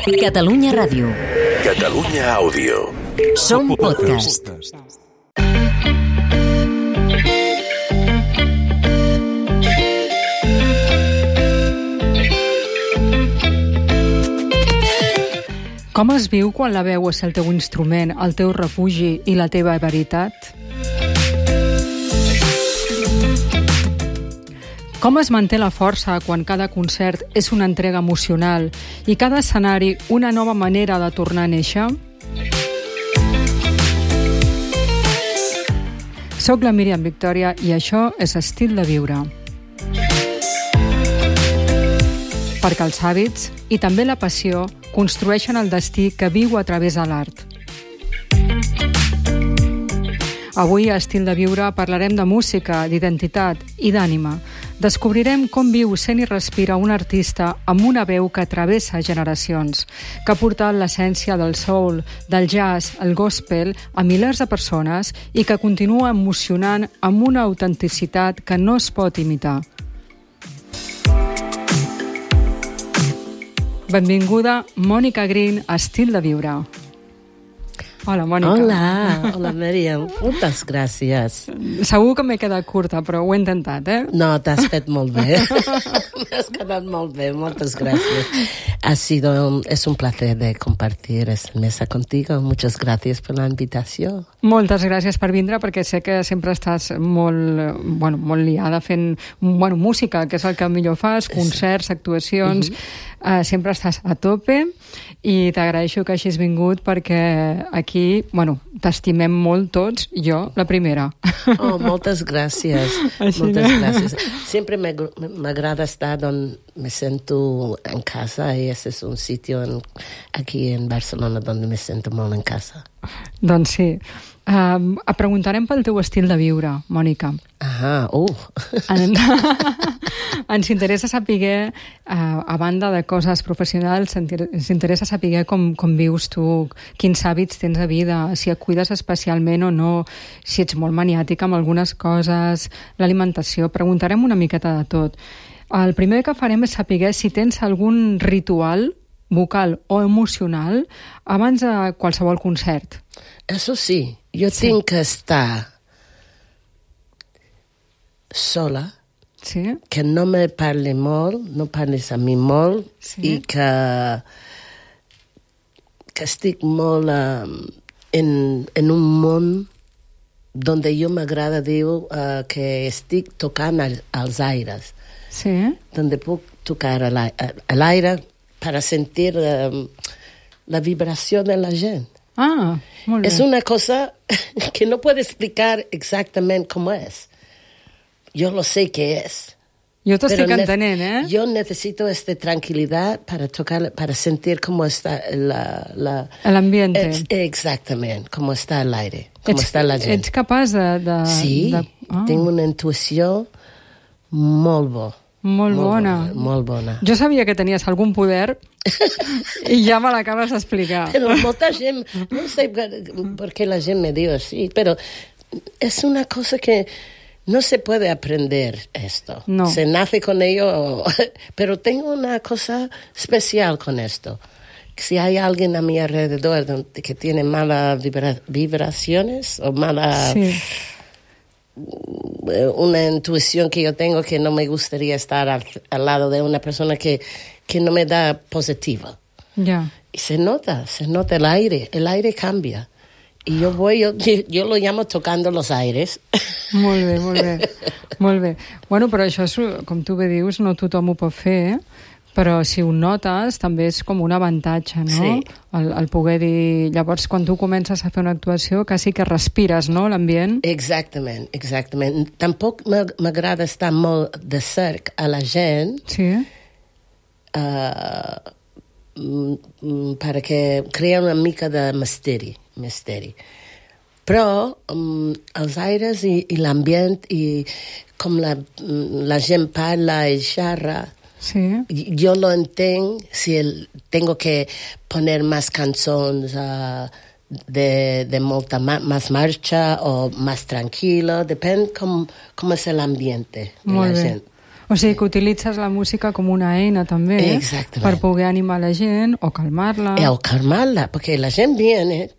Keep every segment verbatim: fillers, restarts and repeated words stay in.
Catalunya Ràdio. Catalunya Àudio. Som podcast. Com es viu quan la veu és el teu instrument, el teu refugi i la teva veritat? Com es manté la força quan cada concert és una entrega emocional i cada escenari una nova manera de tornar a néixer? Soc la Míriam Victòria i això és Estil de Viure. Perquè els hàbits i també la passió construeixen el destí que viu a través de l'art. Avui, a Estil de Viure, parlarem de música, d'identitat i d'ànima. Descobrirem com viu, sent i respira un artista amb una veu que travessa generacions, que ha portat l'essència del soul, del jazz, el gospel a milers de persones i que continua emocionant amb una autenticitat que no es pot imitar. Benvinguda, Mònica Green, a Estil de Viure. Hola, Mònica. Hola, hola, Míriam. Moltes gràcies. Segur que m'he quedat curta, però ho he intentat, eh? No, t'has fet molt bé. M'has quedat molt bé, moltes gràcies. Ha sido, es un placer de compartir esta mesa contigo. Muchas gracias por la invitació. Moltes gràcies per vindre, perquè sé que sempre estàs molt, bueno, molt liada fent bueno, música, que és el que millor fas, concerts, actuacions... Uh-huh. Uh, sempre estàs a tope i t'agraeixo que hagis vingut perquè aquí, bueno, t'estimem molt tots, jo, la primera. Oh, moltes gràcies. Així moltes que... gràcies. Sempre m'agrada estar on me sento en casa i ese es un sitio en, aquí en Barcelona donde me sento molt en casa. Doncs sí. Um, et preguntarem pel teu estil de viure, Mònica. Ah, uh. En... Ens interessa saber, uh, a banda de coses professionals, ens interessa saber com, com vius tu, quins hàbits tens de vida, si et cuides especialment o no, si ets molt maniàtica amb algunes coses, l'alimentació. Preguntarem una miqueta de tot. El primer que farem és saber si tens algun ritual vocal o emocional abans de qualsevol concert. Eso sí, jo sí. tinc que estar sola, sí. que no me parli molt, no parlis a mi molt, sí. i que, que estic molt uh, en, en un món donde jo m'agrada dir uh, que estic tocant al, als aires, sí. donde puc tocar a l'aire para sentir uh, la vibració de la gent. Ah, molt bé. Es una cosa que no puedo explicar exactamente cómo es. Yo lo sé que es. Yo te estoy entenent, ¿eh? Yo necesito esta tranquilidad para tocar, para sentir cómo está la... la el ambiente. Es, exactamente, cómo está el aire, cómo ets, está la gent. Ets capaç de... de sí, de... Ah. tengo una intuició molt bo. Molt, molt bona. bona. Molt bona. Jo sabia que tenies algun poder i ja me l'acabes d'explicar. Pero molta gent, no sé por qué la gente me dice así, pero es una cosa que no se puede aprender esto. No. Se nace con ello, pero tengo una cosa especial con esto. Si hay alguien a mi alrededor que tiene malas vibra- vibraciones o malas... Sí. una intuición que yo tengo que no me gustaría estar al, al lado de una persona que, que no me da positiva. Yeah. Y se nota, se nota el aire, el aire cambia. Y yo voy, yo, yo lo llamo tocando los aires. Molt bé, molt bé, molt bé. Bueno, però això, és, com tu bé dius, no tothom ho pot fer, eh? Però si ho notes, també és com un avantatge, no? Sí. El, el poder dir... Llavors, quan tu comences a fer una actuació, quasi que respires, no?, l'ambient. Exactament, exactament. Tampoc m'agrada estar molt de cerc a la gent. Sí. Uh, perquè crea una mica de misteri, misteri. Però um, els aires i, i l'ambient i com la, la gent parla i xerra, sí. Yo lo entiendo si el, tengo que poner más canciones uh, de, de molta ma, más marcha o más tranquilo, depende cómo, cómo es el ambiente de Molt la bé. gent. O sigui, que utilitzes la música com una eina també, Exactament. per poder animar la gent o calmar-la. O calmarla, porque la gente viene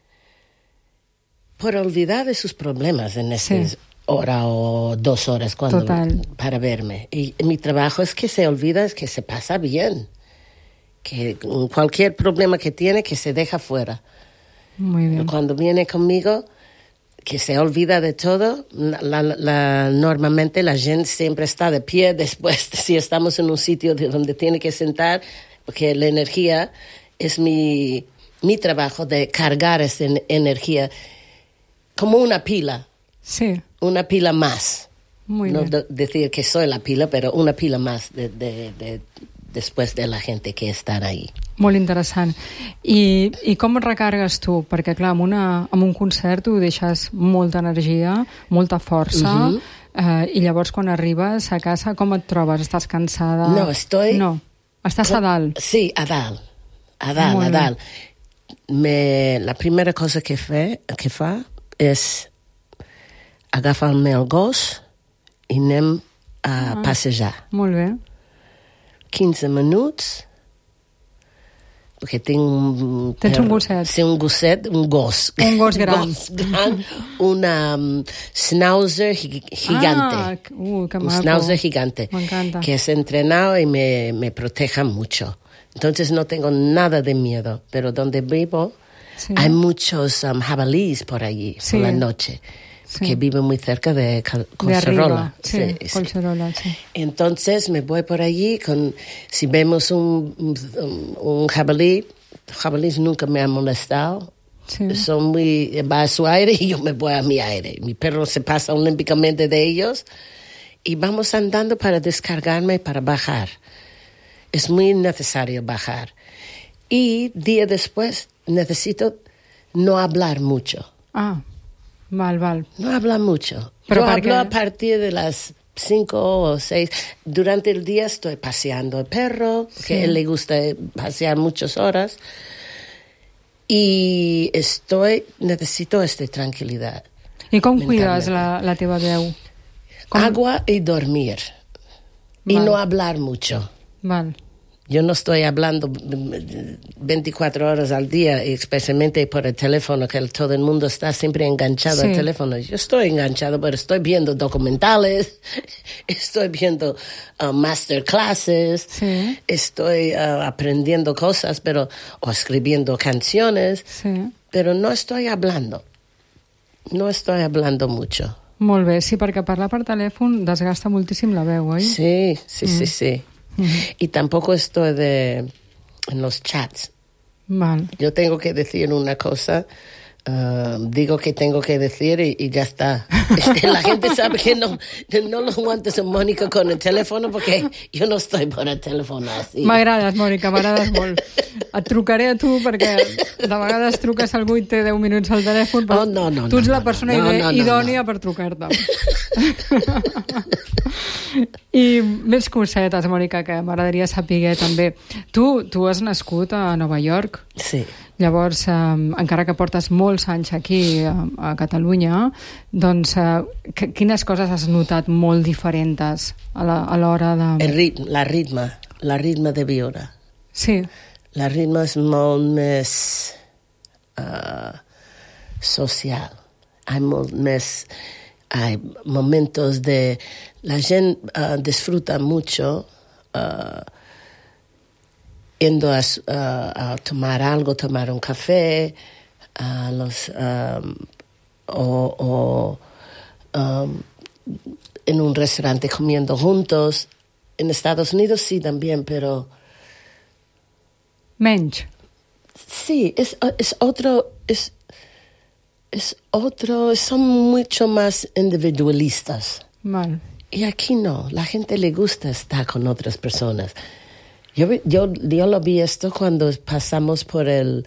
por olvidar de sus problemas en esas Sí. hora o dos horas cuando, Total. para verme. Y mi trabajo es que se olvida, es que se pasa bien. Que cualquier problema que tiene, que se deja fuera. Muy bien. Cuando viene conmigo, que se olvida de todo. La, la, la, normalmente la gente siempre está de pie después, si estamos en un sitio de donde tiene que sentar, porque la energía es mi, mi trabajo de cargar esa energía como una pila. Sí. Una pila más. Muy no bien. de, decir que soy la pila, pero una pila más de, de, de, después de la gente que está ahí. Molt interessant. I, I com et recargues tu? Perquè, clar, amb, una, amb un concert tu deixes molta energia, molta força, uh -huh. eh, i llavors quan arribes a casa, com et trobes? Estàs cansada? No, estoy... No, estàs a dalt. Sí, a dalt. A dalt, Molt a bé. dalt. Me, la primera cosa que, fe, que fa és agafar-me el gos i anem a Ah. passejar. Molt bé. quinze minuts, perquè tinc un... Tens un gosset. Sí, un gosset, un gos. Un gos gran. Un gos gran, una um, schnauzer gi- gigante. Ah, uh, que un maco. schnauzer gigante. Me encanta. Que es entrenado y me, me proteja mucho. Entonces no tengo nada de miedo, pero donde vivo Sí. hay muchos um, jabalíes por allí, Sí. por la noche, Sí. que viven muy cerca de Cal- De Collserola. arriba. Sí, Sí, sí. Collserola, sí. Entonces me voy por allí, con, si vemos un, un, un jabalí, jabalíes nunca me han molestado, Sí. son muy, va a su aire y yo me voy a mi aire. Mi perro se pasa olímpicamente de ellos y vamos andando para descargarme y para bajar. Es muy necesario bajar. Y día después necesito no hablar mucho. Ah, val, val. No habla mucho. Pero Yo ¿para hablo qué? a partir de las cinco o seis. Durante el día estoy paseando el perro, Sí. que a él le gusta pasear muchas horas. Y estoy, necesito esta tranquilidad. I com Mentalment. cuides la, la teva veu? Com... Agua y dormir. Y Vale. no hablar mucho. Val. Yo no estoy hablando veinticuatro horas al día, y especialmente por el teléfono, que el- todo el mundo está siempre enganchado Sí. al teléfono. Yo estoy enganchado, pero estoy viendo documentales, estoy viendo uh, masterclasses, Sí. estoy uh, aprendiendo cosas, pero o escribiendo canciones, Sí. pero no estoy hablando. No estoy hablando mucho. Molt bé, sí, perquè parlar per telèfon desgasta moltíssim la veu, oi? Sí, sí, sí, sí. Y tampoco estoy de, en los chats. Val. Yo tengo que decir una cosa, uh, digo que tengo que decir y, y ya está. La gente sabe que no, no lo aguantes a Mónica con el teléfono porque yo no estoy por el teléfono así. M'agrades, Mònica, m'agrades molt. Et trucaré a tu perquè de vegades truques a algú i té deu minuts al telèfon, però Oh, no, no, tu ets no, la no, persona no, ide- no, no, idònia no. per trucar-te. I més cosetes, Mònica, que m'agradaria saber també. Tu, tu has nascut a Nova York. Sí. Llavors, eh, encara que portes molts anys aquí a, a Catalunya, doncs eh, que- quines coses has notat molt diferents a la- a l'hora de... El ritme, la ritme, la ritme de viure. Sí, La ritme és molt més uh, social. Hay molt més... Hay momentos de... La gente uh, disfruta mucho uh, yendo a, s- uh, a tomar algo, tomar un café, a los, um, o, o um, en un restaurante comiendo juntos. En Estados Unidos sí también, pero... menys. Sí, es, es otro, es, es otro, son mucho más individualistas. Val. Y aquí no, la gente le gusta estar con otras personas. Yo, vi- yo, yo lo vi esto cuando pasamos por el,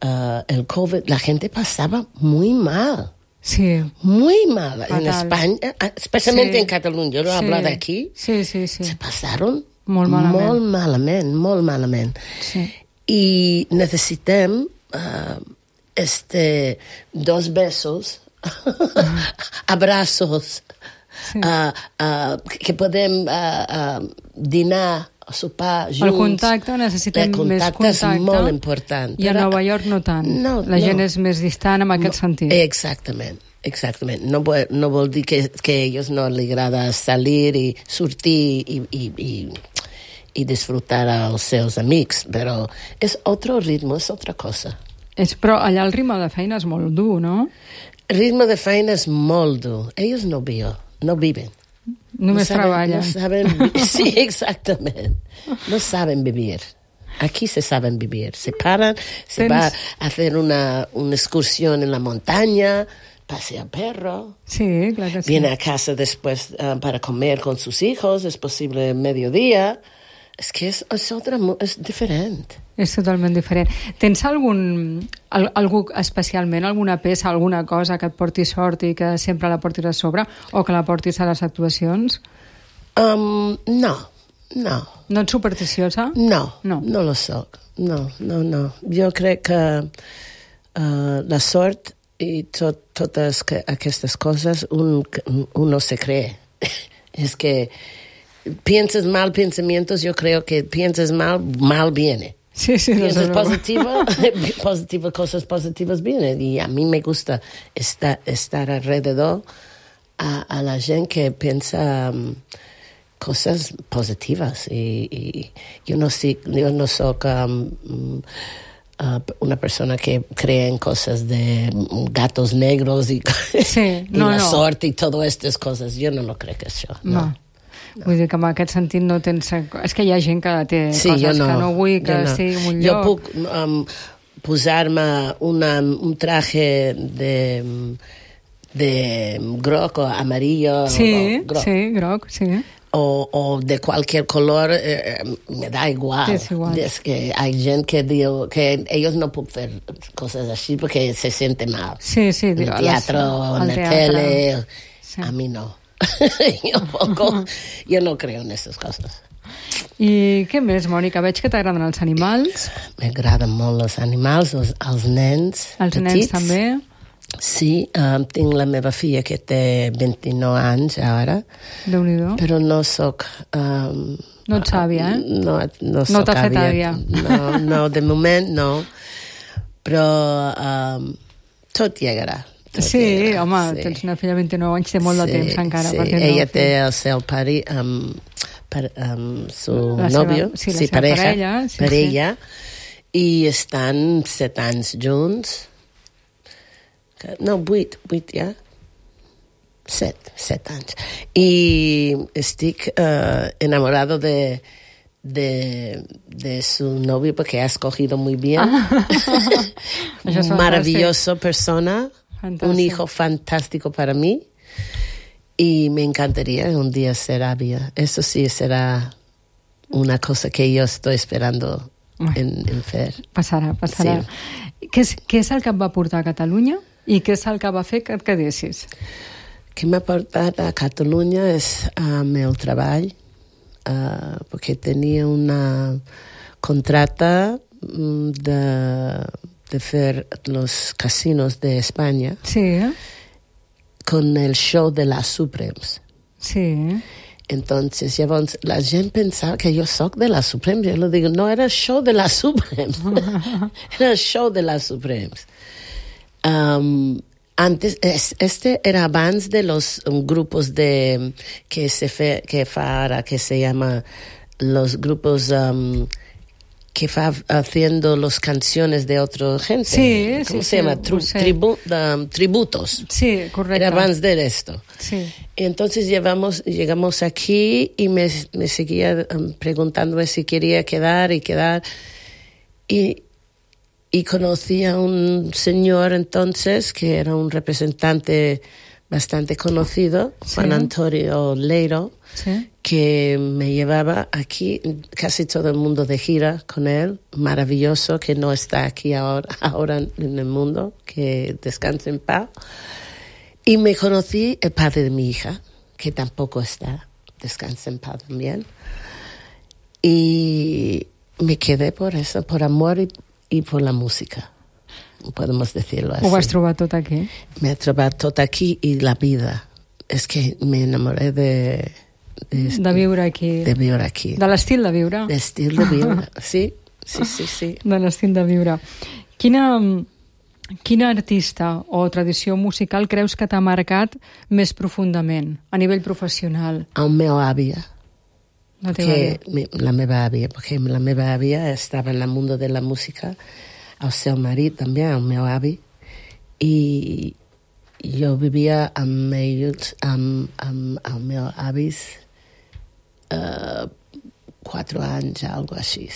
uh, el COVID, la gente pasaba muy mal. Sí. Muy mal. En Fatal. España, especialmente Sí. en Cataluña, yo lo Sí. hablo de aquí, Sí, sí, sí. se pasaron Molt malament. molt malament, molt malament. Sí. Y necesitem uh, este, dos besos, abrazos, Sí. Uh, uh, que podem uh, uh, dinar o sopar junts. El contacte, necessitem el contacte més contacte. és molt important. I a Nova York no tant. No, La gent no. és més distant en aquest no, sentit. Exactament. Exactament. No, vol, no vol dir que, que a ells no li agrada salir i sortir i, i, i, i disfrutar als seus amics, però és otro ritme, és otra cosa. És, però allà el ritme de feina és molt dur, no? El ritme de feina és molt dur. Ells no viuen, no viven. Només no saben, treballen. No saben, sí, exactament. No saben vivir. Aquí se saben vivir. Se paran, se Tens... va a hacer una, una excursión en la montaña, pasea perro. Sí, clar que sí. Viene a casa después uh, para comer con sus hijos, es posible mediodía. És que és, és, otra, és diferent. És totalment diferent. Tens algun, al, algú especialment, alguna peça, alguna cosa que et porti sort i que sempre la portis a sobre o que la portis a les actuacions? Um, no, no. No ets supersticiosa? No, no, no lo soc. No, no, no. Jo crec que uh, la sort i tot, totes que, aquestes coses un, uno se cree. És que piensas mal pensamientos, yo creo que piensas mal, mal viene. Sí, sí. Piensas positivo, positivas cosas positivas vienen. Y a mí me gusta estar, estar alrededor a, a la gente que piensa um, cosas positivas. Y, y yo no sé, yo no soy um, uh, una persona que cree en cosas de gatos negros y, sí, y no, la no. suerte y todas estas cosas. Yo no lo creo que això. No. no. No. Vull dir que en aquest sentit no tens... És que hi ha gent que té sí, coses no, que no vull que no. estigui en un jo lloc. Jo puc um, posar-me una, un traje de, de groc o amarillo. Sí, o groc. sí, groc, sí. O, o de cualquier color, eh, me da igual. Es igual. Es que hay gente que diu que ellos no pueden hacer cosas así porque se siente mal. Sí, sí. En el teatro, en la tele. Sí. A mí no. jo, poco, jo no creo en aquestes coses. I què més, Mònica? Veig que t'agraden els animals. M'agraden molt els animals, els, els nens els petits. nens també? Sí, um, tinc la meva filla que té vint-i-nou anys ara. Déu-n'hi-do. Però no soc... Um, no ets àvia, eh? No, no soc no t'ha fet àvia. àvia. No, no, de moment no. Però um, tot llegarà. Sí, llegarà, home, sí. tens una filla de vint-i-nou anys, té molt sí, de temps encara. Sí, perquè ella no, té el seu pare, um, per, um, su la novio, seva, sí, la sí, seva pareja, parella, sí, parella, sí. I estan set anys junts. No, vuit, vuit ja. Set, set anys. I estic uh, enamorado de... De, de su novio porque ha escogido muy bien. Ah. Maravilloso persona, fantástico. Un hijo fantástico para mí y me encantaría un día ser àvia. Eso sí será una cosa que yo estoy esperando en, en fer. Passarà, passarà. Sí. Què, és, què és el que et va portar a Catalunya i què és el que va fer que et quedessis? Que m'ha portat a Catalunya és el meu treball. Uh, porque tenía una contrata de, de hacer los casinos de España sí. con el show de las Supremes. Sí. Entonces, llavors, la gent pensava que jo soc de las Supremes. Jo le digo, no, era el show de las Supremes. Era el show de las Supremes. Um, Antes, este era abans de los um, grupos de que se fe, que fa ahora, que se llama los grupos um, que fa haciendo las canciones de otra gente. Sí, ¿Cómo sí, se sí, llama? Tri, tribu, um, tributos. Sí, correcto. Era abans de esto. Sí. Y entonces llevamos, llegamos aquí y me, me seguía um, preguntándome si quería quedar y quedar. Y Y conocí a un señor entonces que era un representante bastante conocido, sí. Juan Antonio Leiro, sí. Que me llevaba aquí, casi todo el mundo de gira con él, maravilloso, que no está aquí ahora, ahora en el mundo, que descanse en paz. Y me conocí el padre de mi hija, que tampoco está, descansa en paz también. Y me quedé por eso, por amor y i per la música, podemos decirlo así. Ho vas trobar tot aquí? M'he trobat tot aquí i la vida. és que me enamoré de... De, de viure aquí. De viure aquí. De l'estil de viure. L'estil de viure, sí, sí, sí, sí. De l'estil de viure. Quina... Quina artista o tradició musical creus que t'ha marcat més profundament, a nivell professional? El meu àvia. La teva àvia. Mi, la meva àvia, perquè la meva àvia estava en el món de la música, el seu marit també, el meu avi, i jo vivia amb ells, amb, amb els meus avis, uh, quatre anys, algo així.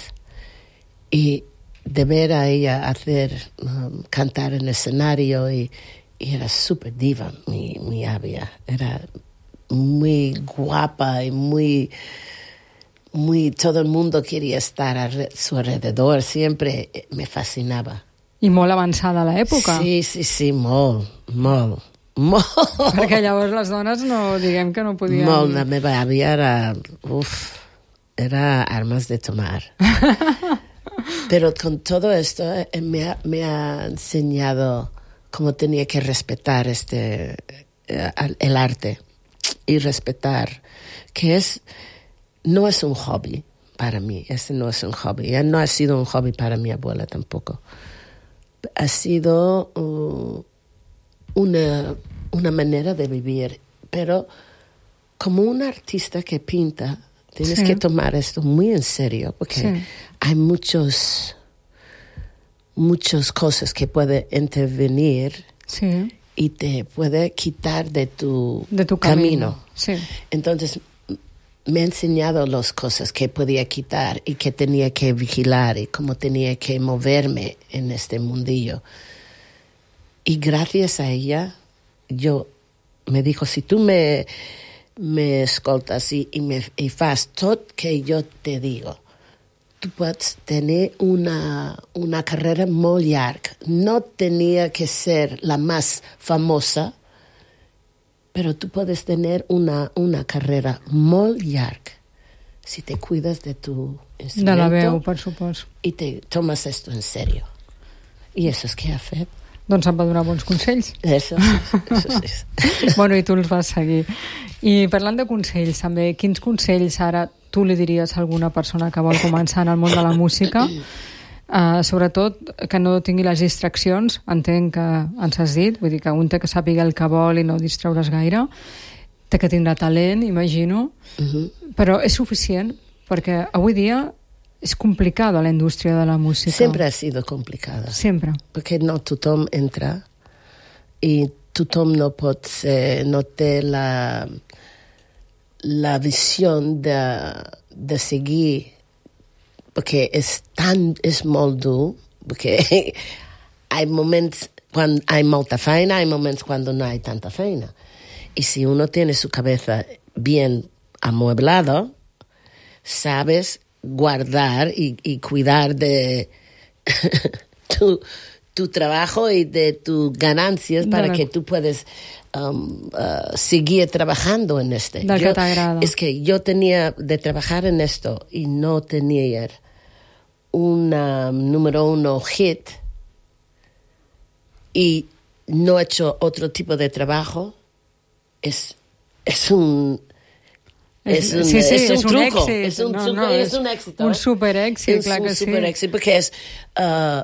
I de ver a ella hacer, um, cantar en el escenario y, y era súper diva, mi, mi avia. Era muy guapa y muy, muy, todo el mundo quería estar a su alrededor, siempre me fascinaba. I molt avançada a l'època. Sí, sí, sí, molt, molt, molt. Perquè llavors les dones no, diguem que no podien... Molt, la meva àvia era, uf, era armas de tomar. Pero con todo esto eh, me, ha, me ha enseñado cómo tenía que respetar este eh, el arte y respetar que es no es un hobby para mí, este no es un hobby, ya no ha sido un hobby para mi abuela tampoco. Ha sido uh, una, una manera de vivir, pero como un artista que pinta, tienes sí. que tomar esto muy en serio, porque sí. hay muchos, muchas cosas que pueden intervenir sí. y te puede quitar de tu, de tu camino. camino. Sí. Entonces, me ha enseñado las cosas que podía quitar y que tenía que vigilar y cómo tenía que moverme en este mundillo. Y gracias a ella, yo me dijo, si tú me... me escoltas i, i, me, i fas tot que jo te digo, tu pots tenir una, una carrera molt llarga. No tenia que ser la més famosa, però tu podes tenir una, una carrera molt llarga si te cuidas de tu instrumento. De la veu, per supost. I te tomes esto en serio. I això és que ha fet. Doncs em va donar bons consells. Això sí, això sí. Bueno, i tu els vas seguir. I parlant de consells, també, quins consells ara tu li diries a alguna persona que vol començar en el món de la música? Uh, sobretot que no tingui les distraccions, entenc que ens has dit, vull dir que un té que sàpiga el que vol i no distraure's gaire, té que tindrà talent, imagino, uh-huh. però és suficient, perquè avui dia és complicada la indústria de la música. Sempre ha sido complicada. Sempre. Perquè no tothom entra i tothom no pot ser, no té la, la visió de, de seguir, perquè és tan, és molt dur, perquè hi ha moments quan hay molta feina, hay moments quan no hay tanta feina. Y si uno tiene su cabeza bien amueblado, sabes guardar y, y cuidar de tu, tu trabajo y de tus ganancias para bueno. que tú puedas um, uh, seguir trabajando en este. Del yo, que t'agrada. Es que yo tenía de trabajar en esto y no tenía una número uno hit y no he hecho otro tipo de trabajo, es, es un... Es un, sí, sí, es un, es un truco, èxit. es un, no, truco, no, es un éxito. Un ¿eh? super èxit, clar que sí. sí. Un super éxito, porque es... Uh,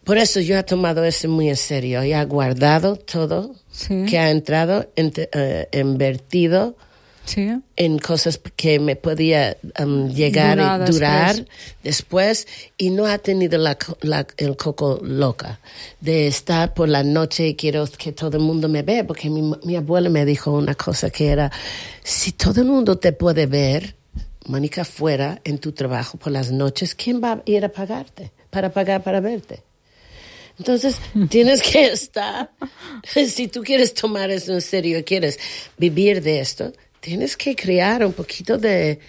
por eso yo he tomado eso muy en serio. Y he guardado todo sí. que ha entrado, en, uh, invertido sí. en cosas que me podía um, llegar Durar y durar después. después. Y no ha tenido la, la, el coco loca de estar por la noche y quiero que todo el mundo me vea. Porque mi, mi abuela me dijo una cosa que era, si todo el mundo te puede ver, Mónica, fuera en tu trabajo por las noches, ¿quién va a ir a pagarte? Para pagar para verte. Entonces, tienes que estar, si tú quieres tomar esto en serio y quieres vivir de esto, tienes que crear un poquito de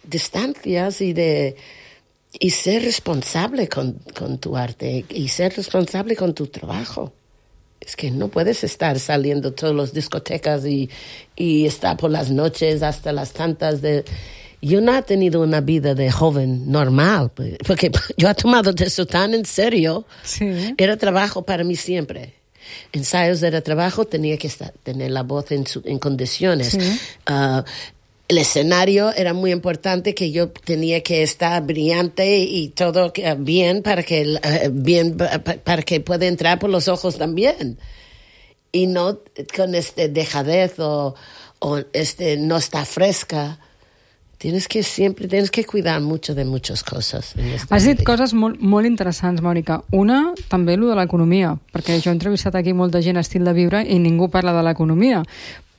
distancias y de y ser responsable con, con tu arte y ser responsable con tu trabajo. Es que no puedes estar saliendo todas las discotecas y, y estar por las noches hasta las tantas de... Yo no he tenido una vida de joven normal, porque yo he tomado eso tan en serio. Sí. Era trabajo para mí siempre. ensayos de trabajo tenía que estar, tener la voz en, su, en condiciones. Sí. Uh, el escenario era muy importante, que yo tenía que estar brillante y todo uh, bien para que uh, bien pa, para que pueda entrar por los ojos también. Y no con este dejadez o, o este no está fresca. Tienes que siempre, tienes que cuidar mucho de muchas cosas. Has dit coses molt, molt interessants, Mònica. Una, també lo de l'economia, perquè jo he entrevistat aquí molta gent estil de viure i ningú parla de l'economia.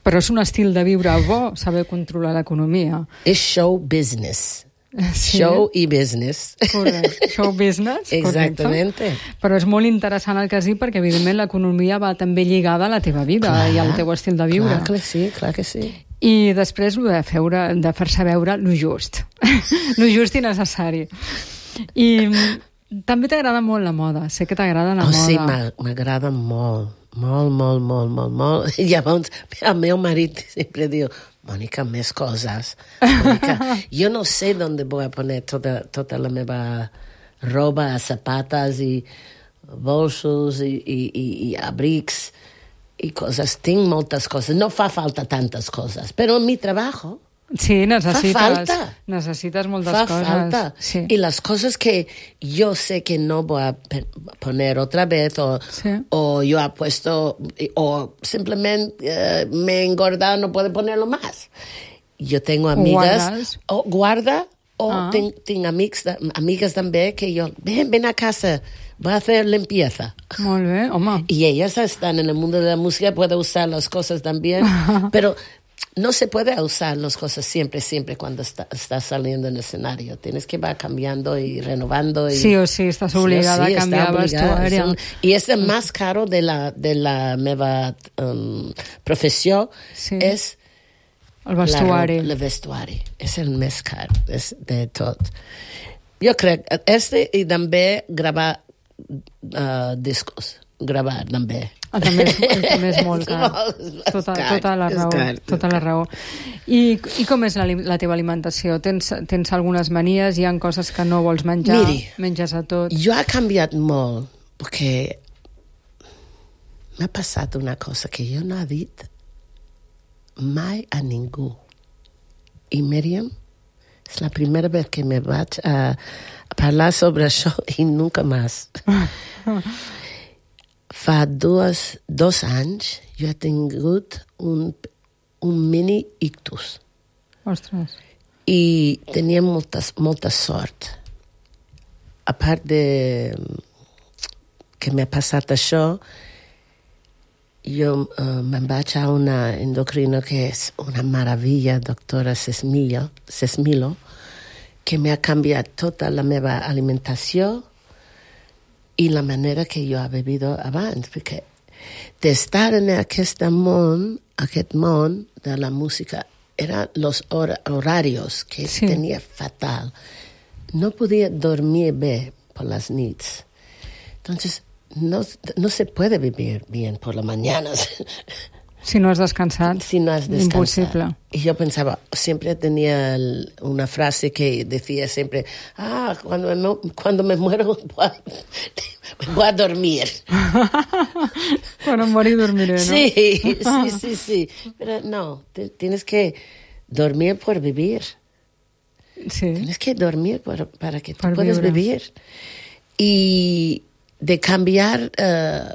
Però és un estil de viure bo, saber controlar l'economia. És show business. Sí. Show i business. Correcte. Show business. Exactamente. Correcte. Però és molt interessant el que has dit, perquè evidentment l'economia va també lligada a la teva vida clar, i al teu estil de viure. Clar que sí, clar que sí. I després de, feure, de fer-se veure lo just. Lo just i necessari. I també t'agrada molt la moda. Sé que t'agrada la oh, moda. Sí, m'agrada molt. Molt, molt, molt, molt, molt. I llavors el meu marit sempre diu, Mònica, més coses. Mònica, jo no sé on vull poner tota, tota la meva roba, zapates i bolsos i, i, i, i abrics i coses. Tinc moltes coses. No fa falta tantes coses, però en mi treball sí, necessites, fa falta. Necessites moltes fa coses. Falta. Sí. Y las cosas que yo sé que no voy a poner otra vez o, sí. o yo he puesto o simplemente uh, me he engordado, no puedo ponerlo más. Yo tengo amigas, o guarda, o ah. tengo ten amics, amigas también que yo, ven, ven a casa, voy a hacer limpieza. Molt bé, home. Y ellas están en el mundo de la música, pueden usar las cosas también, pero no se puede usar las cosas siempre, siempre cuando está, estás saliendo en el escenario. Tienes que ir cambiando y renovando. Y, sí o sí, estás obligada sí o sí, a cambiar vestuario. Y es el más caro de la, de la meva um, profesión, sí. es el vestuari. El vestuari. És el més car de tot. Jo crec, este i també gravar uh, discos. Gravar, també. Ah, també, és, també és molt car. Tota, tota la raó. Car, tota la raó. I, I com és la, la teva alimentació? Tens, tens algunes manies? Hi ha coses que no vols menjar? Miri, menges a tot? Jo he canviat molt, perquè m'ha passat una cosa que jo no he dit mai a ningú. I Míriam, és la primera vegada que me vaig a, a parlar sobre això i nunca més. Fa dos, dos anys jo he tingut un, un mini ictus. Ostres. I tenia molta, molta sort. A part de que m'ha passat això, jo uh, me'n vaig a una endocrina que és una meravella, doctora Sesmilo, Sesmilo, que m'ha canviat tota la meva alimentació i la manera que jo he bebido abans, perquè d'estar en aquest món, aquest món de la música, eren els hor horarios que sí. tenia fatal. No podia dormir bé per les nits. Entonces, no, no se puede vivir bien por las mañanas. Si no has descansat, si no has descansat. Imposible. Y yo pensaba, siempre tenía el, una frase que decía siempre, ah, cuando me, cuando me muero voy a, voy a dormir. Cuando morir dormiré, ¿no? Sí, sí, sí, sí. Pero no, te, tienes que dormir por vivir. Sí. Tienes que dormir por, para que tú puedas vivir. Y de cambiar uh,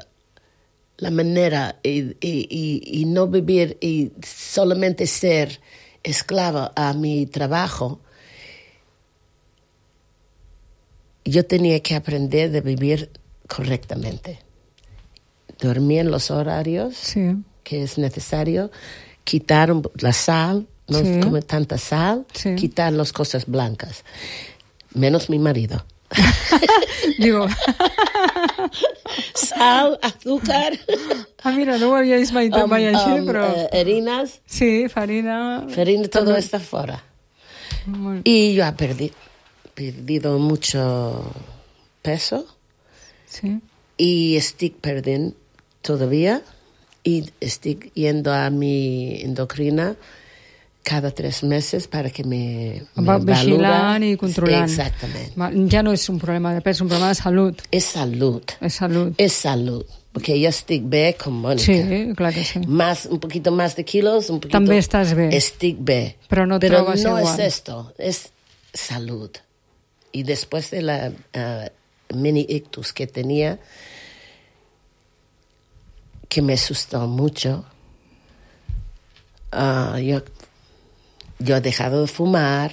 la manera y, y, y, y no vivir y solamente ser esclava a mi trabajo, yo tenía que aprender de vivir correctamente. Dormir en los horarios sí. que es necesario, quitar la sal, no sí. comer tanta sal, sí. quitar las cosas blancas, menos mi marido. Digo... Sal, azúcar... Ah, mira, no ho havia vist mai, um, mai així, um, però... Uh, harinas... Sí, farina... Farina, todo també. Está fuera. Muy... Y yo he perdido, perdido mucho peso. Sí. Y estoy perdiendo todavía. Y estoy yendo a mi endocrina cada tres meses para que me, me vigilant i controlant. Exactament. Ja no és un problema de pes, és un problema de salut. És salut. És salut. És salut. Porque yo estoy bé con Mónica. Sí, clar que sí. Más, un poquito más de kilos, un poquito... També estàs bé. Estic bé. Però no Pero trobes no igual. es esto, es salud. Y después de la uh, mini ictus que tenía, que me asustó mucho, uh, yo, yo he dejado de fumar,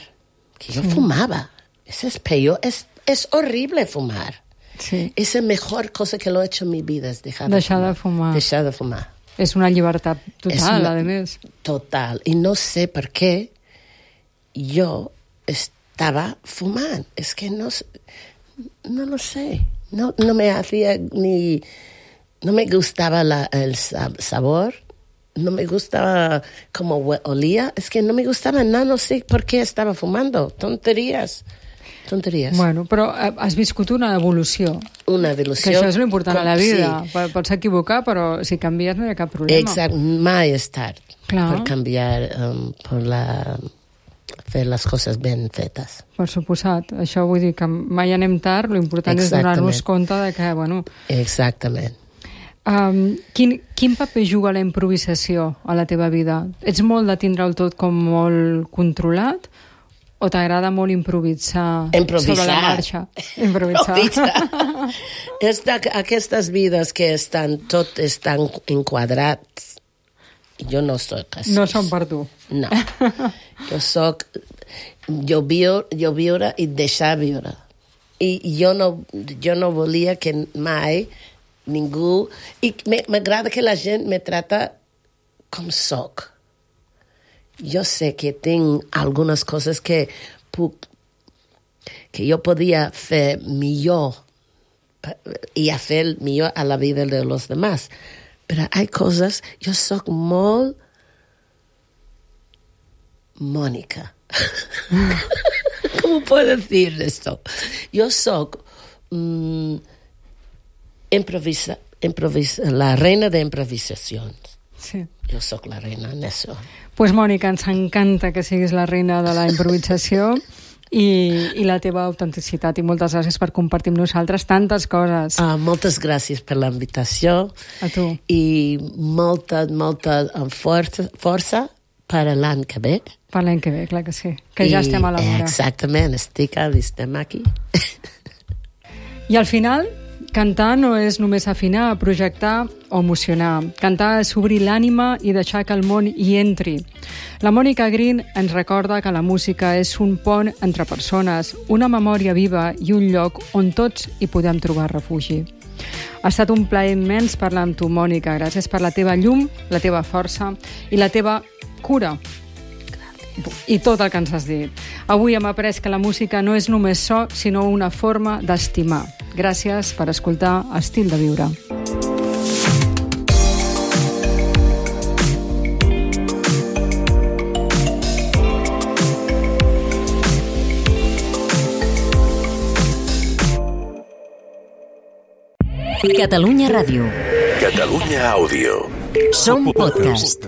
que yo sí. fumaba. Eso es peor, es, es horrible fumar. Sí. Es la mejor cosa que lo he hecho en mi vida, es dejar de Deixar fumar. de fumar. Deixar de fumar. És una llibertat total, una, a més. Total. Y no sé por qué yo estaba fumando. Es que no, no lo sé. No, no me hacía ni... No me gustaba la, el sabor. No me gustaba cómo olía. Es que no me gustaba nada. No sé por qué estaba fumando. Tonterías. Tonteries. Bueno, però has viscut una evolució. Una evolució. Que això és l'important a la vida. Sí. Pots equivocar, però si canvies no hi ha cap problema. Exacte. Mai és tard Clar. per canviar, um, per la, fer les coses ben fetes. Per suposat. Això vull dir que mai anem tard, l'important és donar-nos compte de que, bueno... Exactament. Um, quin, quin paper juga la improvisació a la teva vida? Ets molt de tindre-ho tot com molt controlat? O t'agrada molt improvisar, improvisar sobre la marxa? Improvisar. És d'aquestes vides que estan, tot estan enquadrats. Jo no soc així. No són per tu. No. Jo soc... Jo, viu, jo viure i deixar viure. I jo no, jo no volia que mai ningú... I m'agrada que la gent me trata com soc. Jo sé que tinc algunes coses que puc, que jo podia fer millor i a fer millor a la vida de los demás. Però hi ha coses... Jo soc molt Mónica. ¿Cómo puedo decir esto? Yo soy um, improvisa, improvisa, la reina de improvisacions. Sí. Jo sóc la reina en això. Doncs pues, Mònica, ens encanta que siguis la reina de la improvisació i, i la teva autenticitat, i moltes gràcies per compartir amb nosaltres tantes coses. Uh, moltes gràcies per la invitació. A tu. I molta, molta força, força per l'any que ve. Per l'any que ve, clar que sí. Que ja I, estem a la vora. Exactament, estic, estem aquí. I al final... Cantar no és només afinar, projectar o emocionar. Cantar és obrir l'ànima i deixar que el món hi entri. La Mònica Green ens recorda que la música és un pont entre persones, una memòria viva i un lloc on tots hi podem trobar refugi. Ha estat un plaer immens parlar amb tu, Mònica. Gràcies per la teva llum, la teva força i la teva cura. I tot el que ens has dit. Avui hem après que la música no és només so, sinó una forma d'estimar. Gràcies per escoltar Estil de Viure. Catalunya Ràdio. Catalunya Àudio. Som podcast.